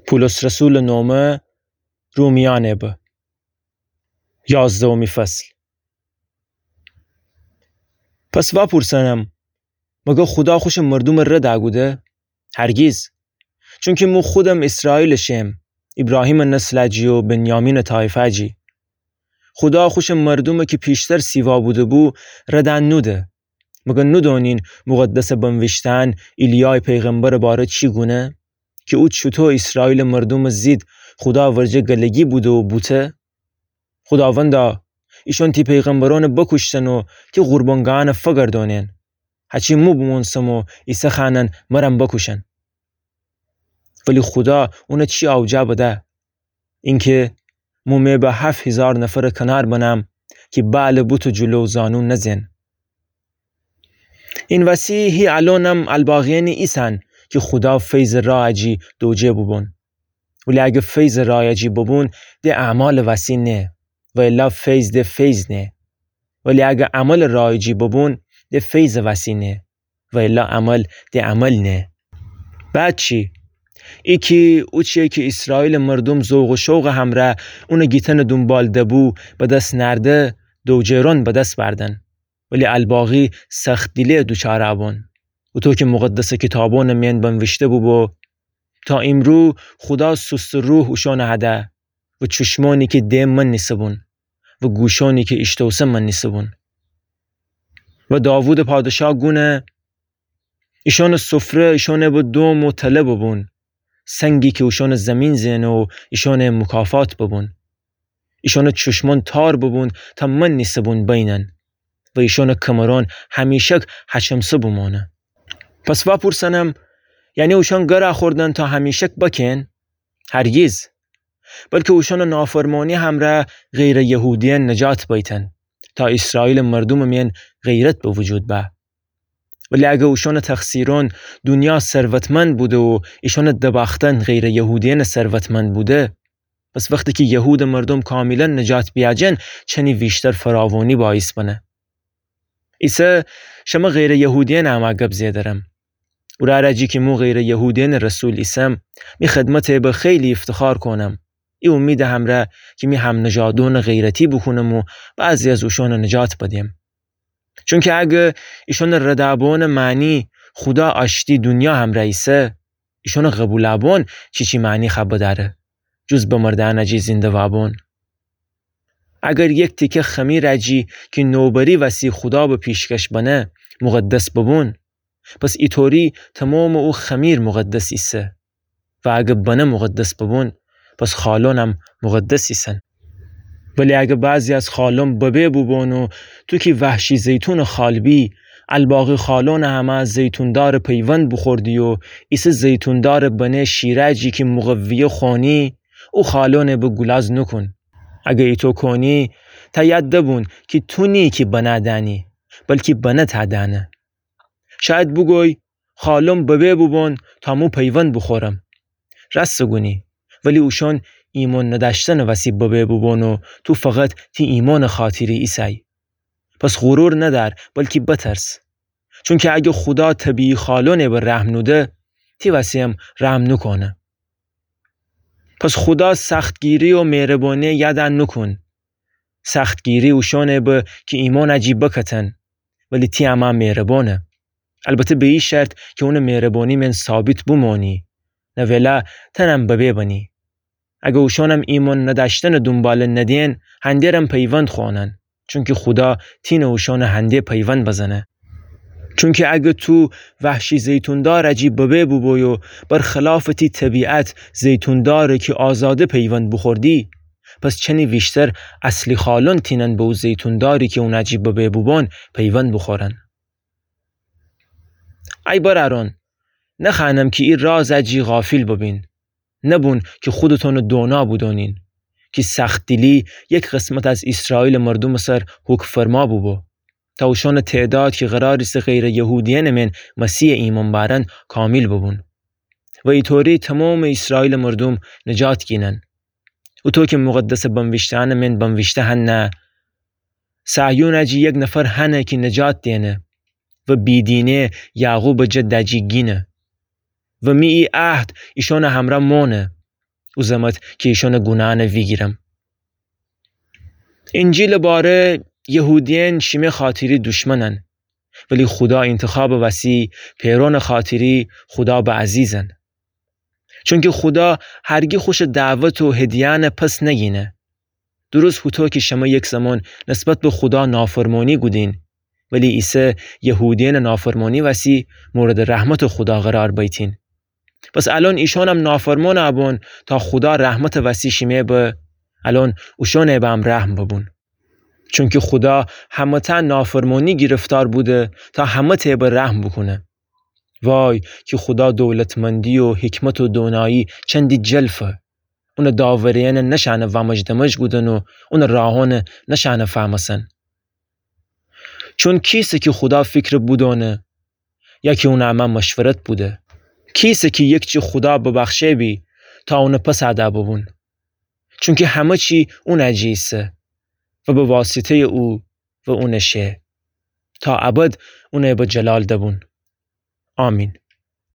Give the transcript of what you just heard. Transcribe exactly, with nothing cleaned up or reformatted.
پولس رسولٚ نومه رومیأنٚ به. یازدهمی فصل. پس وأپورسنم، مگر خودا خوشٚ مردومٚ رد کوده؟ هرگیز. چونکی مو خودم ایسرائیلٚ شم، ایبراهیمٚ نسل جی و بنیامینٚ طایفه جی. خودا خوشٚ مردومه کی پیشتر سیوا بوده‌بو، رد نوده. مگر نودونین مقدسٚ بنویشتن ایلیای پیغمبرٚ باره چی گونه؟ کی او چوطو ایسرائیلٚ مردومٚ زید خودا ورجه گلگی بوده و بوته؟ خوداوندا، ایشان تی پیغمبرأن بکوشتن و تی قربانگاهأن فگردانن. هچی مو بمونسم و ایسه خوأنن مرم بکوشن. ولی خودا اون چی اوجا بده؟ اینکه مو مه به هفت هیزار نفر کنار بنم کی بعلٚ بوتٚ جلو زانو نزن. این وسی هی الأنم الباقیأنی ایسن کی خودا فیضٚ راه جی دوجه بوبون. ولی اگه فیضٚ راه جی بوبون، ده اعمالٚ وسی نه، و الا فیض ده فیض نه. ولی اگه عملٚ راه جی بوبون، ده فیضٚ وسی نه، و الا عمل ده عمل نه. بعد چی؟ ای کی اوچیه کی ایسرائیلٚ مردوم ذوق و شوقٚ همرأ اونٚ گیتنٚ دونبال دبو، به دس نأرده، دوجهرون به دس بأردن. ولی الباقی سخت‌دیلی دوچارٚ بون. اوطو کی مقدسٚ کیتابأنٚ مین بنویشته بوبو، تا ایمرو خودا سوستٚ روح اوشأنٚ هده و چوشمأنی کی ده منیسه‌بون و گوشأنی کی ایشتوسه منیسه‌بون. و داوودٚ پادشاه گونه، ایشأنٚ سفره ایشأنٚ به دوم و تله ببون، سنگی کی اوشأنٚ زمین زئنه و ایشأنٚ مکافات ببون. ایشأنٚ چوشمأن تار ببون تا منیسه‌بون بینن و ایشأنٚ کمرأن همیشک هچمسه بمانه. پس وأپورسنم، یعنی اوشأن گرا خوردن تا همیشک بکن؟ هرگیز. بلکی اوشأنٚ نافرمانی همرأ غیرٚ یهودیأن نجات بیتن، تا ایسرائیلٚ مردومٚ مین غیرت به وجود به. ولی اگه اوشأنٚ تقصیرأن دونیا ثروتمند بوده و ایشأنٚ دباختن غیرٚ یهودیأنٚ ثروتمند بوده، پس وختی کی یهودٚ مردوم کاملا نجات بیاجن، چنی ویشتر فراوانی باعث بنه. ایسه شمه غیرٚ یهودیأنٚ امرأ گب زئیدرم. اورأ جی کی مو غیرٚ یهودیأنٚ رسول ایسم، می خدمتٚ به خیلی افتخار کونم. ای امیدٚ همرأ کی می همنژادأنٚ غیرتی بوکونم و بعضی از اوشأنٚ نجات بدم. چونکی اگه ایشأنٚ رد بونٚ معنی خودا آشتی دونیا همرأ ایسه، ایشأنٚ قبول بون چیچی معنی خأ بدأره، جز بمردأنٚ جی زنده وابون؟ اگر یک تیکه خمیر جی کی نوبری وسی خودا به پیشکش بنه مقدس ببون، پس ایطوری تمامٚ او خمیر مقدس ایسه. و اگه بنه مقدس ببون، پس خالونم مقدس ایسن. ولی اگه بعضی از خالون ببه بوبون و تو کی وحشی زیتونٚ خال بی، الباقی خالونٚ همرأ زیتوندارٚ پیوند بوخوردی و ایسه زیتوندارٚ بنه شیره جی کی مقویه خونی، او خالونٚ به گولاز نوکون. اگه ایطو کونی، تا یاد دبون کی تو نی کی بنه دأنی، بلکی بنه تا دأنه. شاید بوگوی، خالون ببه بوبون تا مو پیوند بوخورم. راستٚ گونی، ولی اوشأن ایمأن ندأشتنٚ وسی ببه بوبون و تو فقط تی ایمأنٚ خاطری ایسأی. پس غرور ندأر، بلکی بترس. چونکی اگه خودا طبیعی خالونٚ به رحم نوده، تی وسی‌یم رحم نوکونه. پس خودا سختگیری و مهربانی یاد نوکون. سختگیری اوشأنٚ به کی ایمأنٚ جی بکتن، ولی تی امرأ مهربانه. البته به ای شرط کی اونٚ مهربانی مین ثابت بومانی، نولا تنم ببه بنی. اگه اوشأنم ایمأن ندأشتنٚ دونباله ندین، هنده‌رم پیوند خوأنن، چونکی خودا تینه اوشأنٚ هنده پیوند بزنه. چونکی اگه تو وحشی زیتوندارٚ جی ببه بوبوی و برخلافٚ تی طبیعت زیتوندارٚ کی آزاده پیوند بوخوردی، پس چنی ویشتر اصلی خالون تینن به او زیتونداری کی اونٚ جی ببه بوبون پیوند بوخورن. ای برأرون، نخوأنم کی ای رازٚ جی غافل ببین. نبون کی خودتونٚ دونا بودونین کی سخت‌دیلی یک قسمت از ایسرائیلٚ مردومٚ سر حکم‌فرما بوبو، تا اوشأنٚ تعداد کی قرار ایسه غیرٚ یهودیأنٚ مین مسیحٚ ایمأن بأرن کامل ببون و ایطوری تمامٚ ایسرائیلٚ مردوم نجات گینن. اوطو کی مقدسٚ بنویشته‌أنٚ مین بنویشته هنه، صهیونٚ جی یک نفر هنه کی نجات دئنه و بیدینه یعقوبٚ جدٚ جی گینه. و می ای عهد ایشأنٚ همرأ مانه. بوزمت کی ایشأنٚ گوناهأنَ ویگیرم. اینجیلٚ باره یهودیأن شیمه خاطری دوشمنن، ولی خودا اینتخابٚ وسی پئرأنٚ خاطری خودا به عزیزن. چونکی خودا هرگی خوشٚ دعوت و هدیهأنَ پس نگینه. درست هوطو کی شمه یک زمان نسبت به خودا نافرمانی کودین، ولی ایسه یهودیأنٚ نافرمانی وسی موردٚ رحمتٚ خودا قرار بیتین. پس الأن ایشأنم نافرمانَ بون تا خودا رحمتٚ وسی شیمه به، الأن اوشأنَ به هم رحم ببون. چونکی خودا همه‌تأ نافرمانی گیرفتار بوده تا همه‌تأ به رحم بوکونه. وای کی خودا دولتمندی و حکمت و دونایی چندی جلفه. اونٚ داوریأنَ نشأنه وامج دمج کودن و اونٚ راهأنَ نشأنه فهمسن. چون کیسه کی خودا فکرَ بودأنه، یا کی اونٚ امه مشورت بوده؟ کیسه کی یکچی خودا ببخشه بی تا اونٚ پسَ دَ ببون؟ چونکی همه چی اونٚ جی ایسه و به واسطه‌یٚ او و اونٚ شه، تا ابد اونَ به جلال دبون. آمین.